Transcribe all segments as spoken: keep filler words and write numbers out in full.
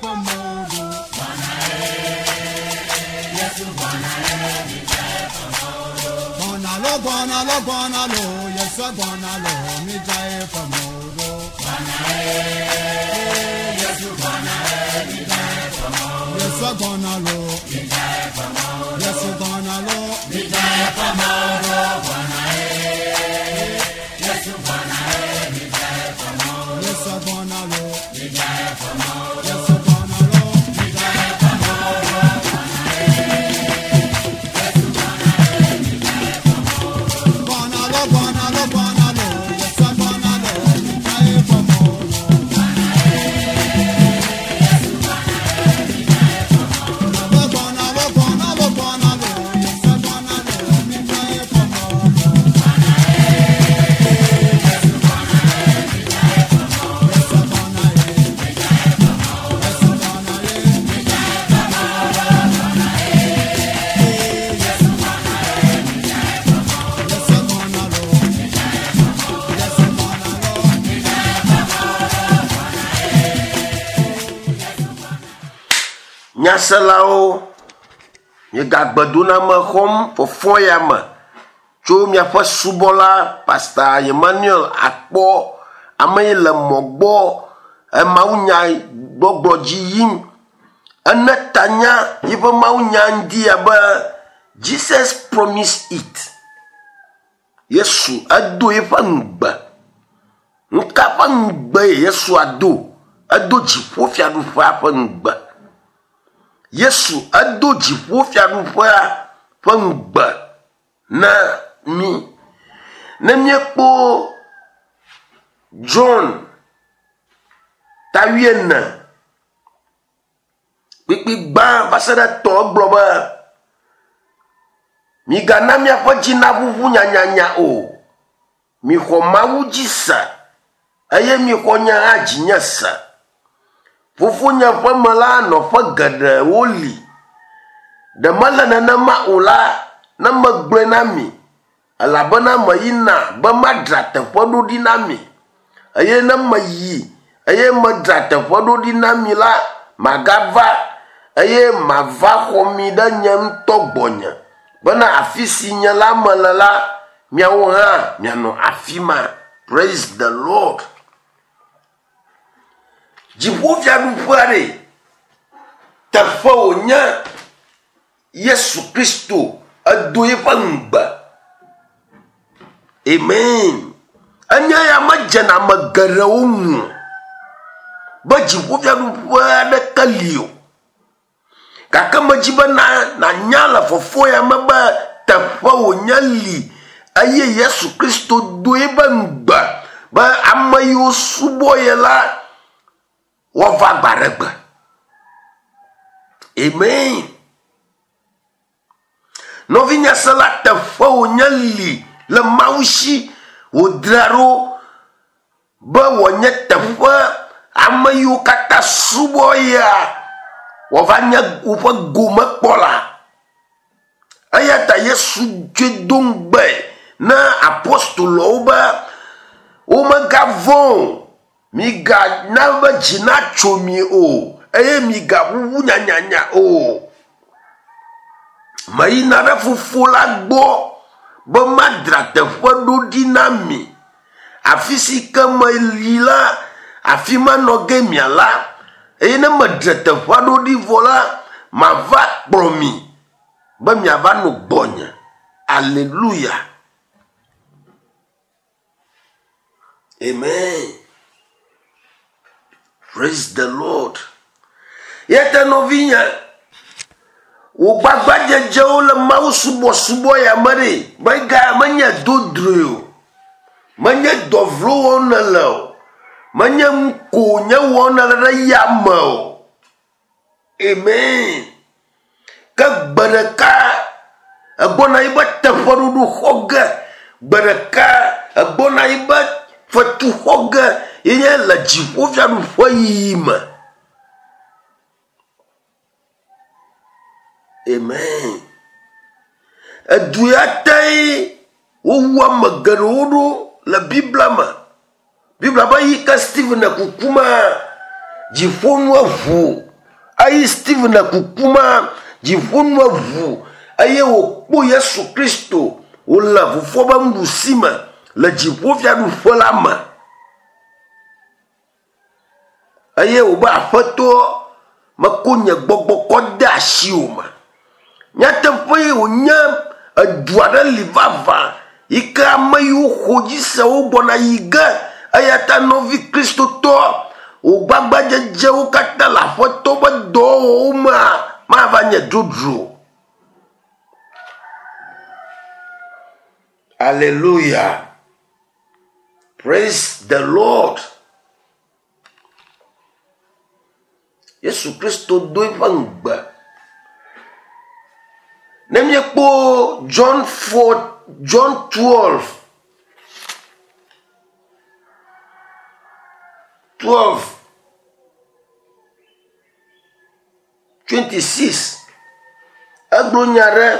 fɔmɔdo. Gbɔna lo gbɔna lo gbɔna lo Yesu gbɔna lo mi dza ye fɔmɔdo. Yesu gbɔna lo Yesu gbɔna lo mi dza ye fɔmɔdo. Yesu gbɔna lo Yesu gbɔna lo mi dza ye fɔmɔdo. Gbɔna lo gbɔna lo gbɔna lo Yesu gbɔna lo mi dza ye fɔmɔdo. Gbɔna lo gbɔna lo gbɔna lo Yesu gbɔna lo mi dza ye fɔmɔdo. Yesu gbɔna ye Yesu gbɔna ye mi dza ye fɔmɔdo. Yesu gbɔna lo Yesu gbɔna lo mi dza ye Nyaselawo, miegagbedoname xɔm fɔfɔ ya me tso miaƒe subɔla Pastor Emmanuel Akpɔ, ame yi le mɔ gbɔ emawunya gbɔgblɔ dzi yim. Ene tanya yiƒe mawunya ŋdi ya be Jesus promise it. Yesu edo eƒe ŋugbe. Nuka ƒe ŋugbe ye Yesu ado? Edo dziƒofiaɖuƒea ƒe ŋugbe. Yesu edo dziƒofiaɖuƒea ƒe ŋugbe na mí. Ne míekpɔ John ta wuiene kpukpui gbã va se ɖe etɔ̃ egblɔ be migana miaƒe dzi naʋuʋu nyanyanya o. Mixɔ Mawu dzi se eye mixɔ nye hã dzinye se. Fofonye ƒe me la nɔƒe geɖewo li. Ɖe mele nenema o la, ne megblɔe na mi, elabena meyina be madzra teƒe ɖo ɖi na mi. Eye ne meyi eye medzra teƒe ɖo ɖi na mi la, magava eye mava xɔ mi ɖe nye ŋutɔ gbɔnye bena afi si nye la mele la, miawo hã mianɔ afi ma. Praise the Lord. Dziƒofiaɖuƒea ɖe teƒe wònye Yesu Kristo edo eƒe ŋugbe. Amen. Enye ya medzena ame geɖewo ŋu o be dziƒofiaɖuƒe aɖeke li o. Gake medzi be na nanya le fɔfɔ ya me be teƒe wònye li eye Yesu Kristo do eƒe ŋugbe be ame yiwo subɔ ye la woava gbe aɖe gbe. Amen. Nɔvinyasela teƒe wònye li le Mawu si wòdzra ɖo be wòanye teƒe ame yiwo katã subɔ yea woava nye woƒe gomekpɔla. Eya ta Yesu tsoe do ŋugbe na apostolowo be womegavɔ̃ o, migana be dzi natso mi o eye migaʋuʋu nyanyanya o. Meyina ɖe fofo la gbɔ be madzra teƒe ɖo ɖi na mi. Afi si ke meyi la, afi ma nɔ ge miala. Eye ne medre teƒea ɖo ɖi vɔ la, mava kplɔ mi be miava nɔ gbɔnye. Aleluya. Amen. Praise the Lord. Yete nɔvinye, wò gbagbadzedzewo le Mawu subɔsubɔ ya me ɖe, mega menye dodroe o. Menye dɔ vlo wɔm nèle o. Menye nu ko nye wɔm nèle ɖe ya me o. Amen. Ke gbe ɖeka egbɔna yi be teƒeɖoɖo xɔ ge. Gbe ɖeka egbɔna yi be fetu xɔ ge ye nye le dziƒofiaɖuƒe yiyi me. Amen. Edu ya tee wowu ame geɖewo ɖo le Biblia me. Biblia be yi ke Stephen le kukuma, Dziƒonu eʋu eye Stephen le kukuma, dziƒonu eʋu eye wòkpɔ Yesu Kristo wòle fofoa ƒe nuɖusi me le dziƒofiaɖuƒe la me. Eye wòbe aƒetɔ meko nye gbɔgbɔ kɔ de asiwò me. Nyateƒe wònye edu aɖe li vavã yi ke ame yiwo xɔ dzi se wo gbɔna yi ge. Eya ta nɔvi kristotɔ wò gbagbadzedzewo katã le aƒetɔ ƒe dɔwɔwɔwo mea mava nye dzodzro. Hallelujah. Praise the Lord. Yesu Kristo do eƒe ŋugbe. Ne míekpɔ John four, John twelve, twelve, twenty-six, egblɔ nya ɖe.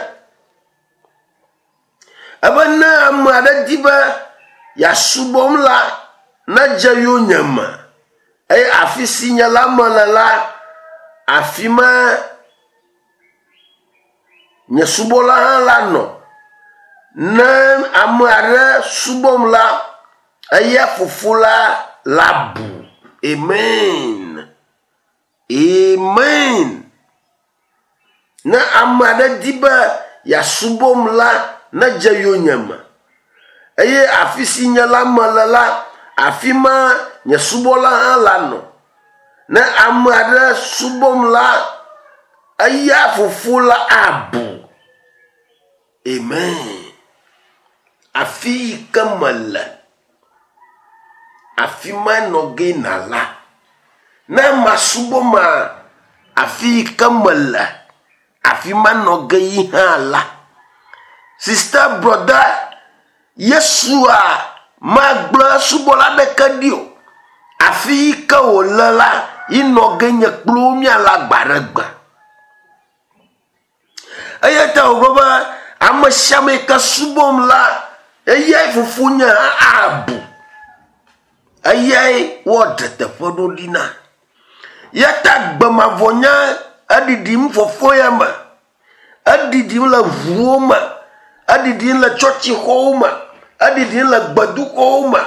Ebe ne ame aɖe di be yeasubɔm la, nedze yonyeme. Eye afi si nye la mele la, afi ma nye subɔla hã la nɔ. Ne ame aɖe subɔm la, eya fofo la la bu. Amen. Amen. Ne ame aɖe di be yeasubɔm la, nedze yonyeme. Eye afi si nye la mele la, afi ma nye subɔla hã la nɔ. Ne ame aɖe subɔm la, eya fofo la abu. Amen. Afi yi ke mele, afi ma nɔ ge nala. Ne masubɔ ma, afi yi ke mele, afi ma nɔ ge yi hã la. Sister, brother, Yesua magblẽ subɔla ɖeke ɖi o. Afi yi ke wòle la, yi nɔ ge nye kple wo míale agba ɖe gbe. Eya ta wògblɔ be ame sia ame yi ke subɔm la, eyae fofonye hã abu. Eyae woaɖe teƒe ɖo ɖi na. Ya ta gbemavɔ nye eɖiɖim fɔfɔ ya me. Eɖiɖim le ʋuwo me. Eɖiɖim le tsɔtsixɔwo me. Eɖiɖim le gbedoxɔwo me.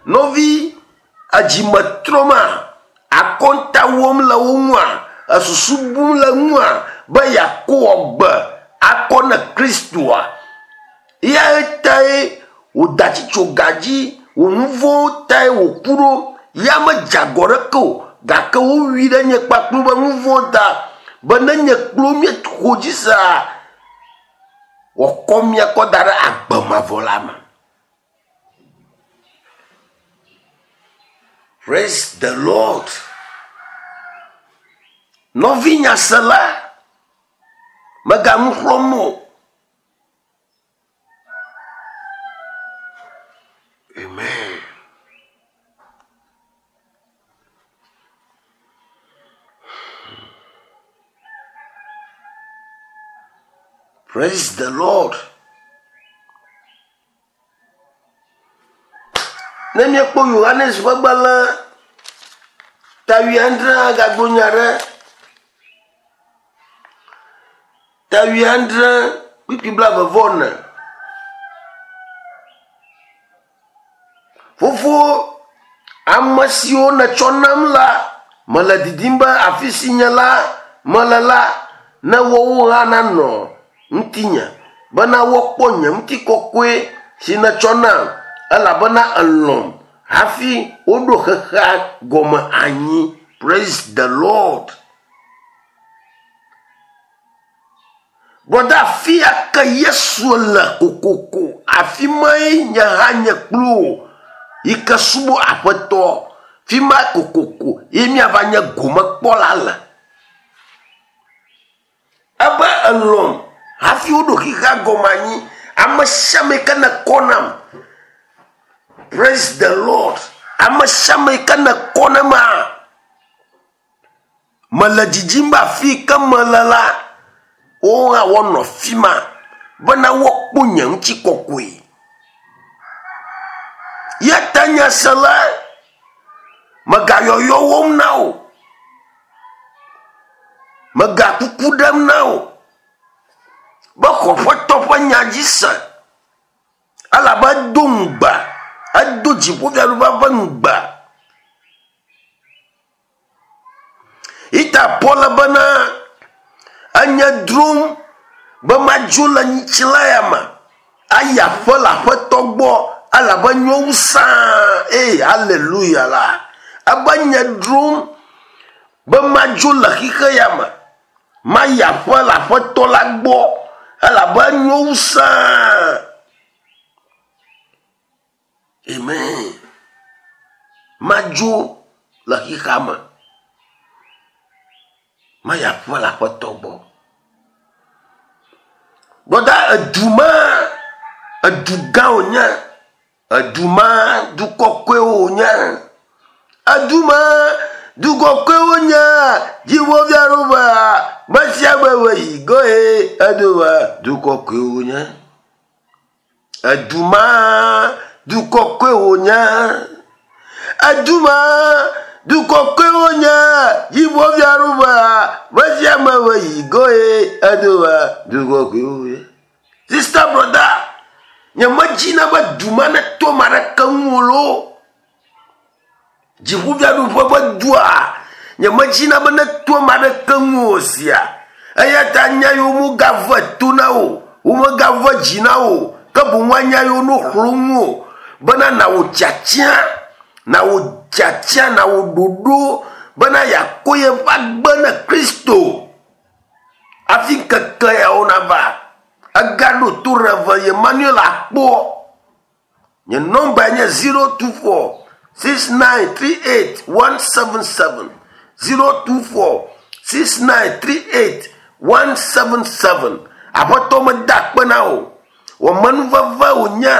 Nɔvi edzimetrɔ ma, akɔnta wɔm le wo ŋua, esusu bum le ŋua be yeakɔ gbe akɔ ne Kristoa. Ya tae wòda tsitso ga dzi, wò nu vɔ̃wo tae wòku ɖo. Ya medze agɔ ɖeke o, gake wowui ɖe nye kpakple be nu vɔ̃ ta be ne nye kple wo míexɔ dzi sea, wòakɔ mía kɔ da ɖe agbe mavɔ la me. Praise the Lord. Nɔvi nyasela, mèganu xlɔ̃m o. Amen. Praise the Lord. Ne míekpɔ Yohanes ƒe gbalẽ ta wuiadre gagblɔ nya ɖe. Ta wuiadre kpukpui blaeve vɔ ene. Fofo, ame siwo nètsɔ nam la, mele didim be afi si nye la mele la, ne woawo hã nanɔ ŋutinye, bena woakpɔ nye ŋutikɔkɔe si nètsɔ nam, elabena elɔ̃m hafi woɖo xexea gɔme anyi. Praise the Lord. Brother, afi ya ke Yesu le kokoko, afi mae nye hã nye kple wò yi ke subɔ aƒetɔ, fi ma kokoko ye míava nye gomekpɔla le. Ebe elɔ̃m hafi woɖo xexea gɔme anyi. Ame sia ame yi ke nekɔ nam. Praise the Lord. Ame sia ame yi ke nekɔ nam a, mele dzidzim be afi yi ke mele la, woawo hã woanɔ afi ma bena woakpɔ nye ŋutikɔkɔe. Ya ta nyasela, megayɔyɔ wɔm na wò. Mega kuku ɖem na wò be xɔ Aƒetɔ ƒe nya dzi se, elabe edo ŋugbe, edo dziƒofiaɖuƒe ƒe ŋugbe. Ita Paul bena enye drom be madzo le ŋutilã ya me ayi aƒe le Aƒetɔ gbɔ, elabe nyo wu sãa. Ee, haleluya la. Ebe nye drom be madzo le xixe ya me mayi aƒe le Aƒetɔ la gbɔ, elabe nyo wu sãa. Amen. Madzo le xixea me mayi aƒe le Aƒetɔ gbɔ. Gbɔda edu ma, edu gã wònye, edu ma du kɔkɔe wònye, edu ma du kɔkɔe wònye, dziƒofiaɖuƒea me sia me me yi goe, edu ma du kɔkɔe wònye, edu ma du kɔkɔe wònye, edu ma du kɔkɔe wònye, dziƒofiaɖuƒea me sia me me yi goe, edu ma du kɔkɔe wònye. Sister, brother, nye medzina be du ma neto ame aɖeke ŋu o loo. Dziƒofiaɖuƒe ƒe dua, nye medzina be neto ame aɖeke ŋu o sia. Eya ta nya yiwo megave to na wò, womegave dzi na wò, ke boŋ woanya yiwo no xlɔ ŋu o, bena nawò tiatia, nawò tiatia, nawò ɖoɖo, bena yeakɔ yeƒe agbe ne Kristo. Hafi ŋkeke yawo nava. Egaɖo to Reverend Emmanuel Akpo. Nye nɔmba nye zero two four six nine three eight one seven seven. zero two four six nine three eight one seven seven. Aƒetɔ meda akpe na wò. Wɔ menuveve wònye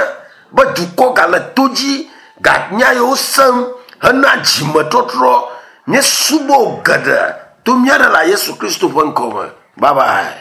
be dukɔ gale to dzi, ganya yiwo sem hena dzimetɔtrɔ. Míesubɔ geɖe to mía Ɖela Yesu Kristo ƒe ŋkɔme. Bye bye.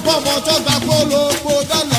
Bọ́bọ̀ tó gbà kó ló kó dáná.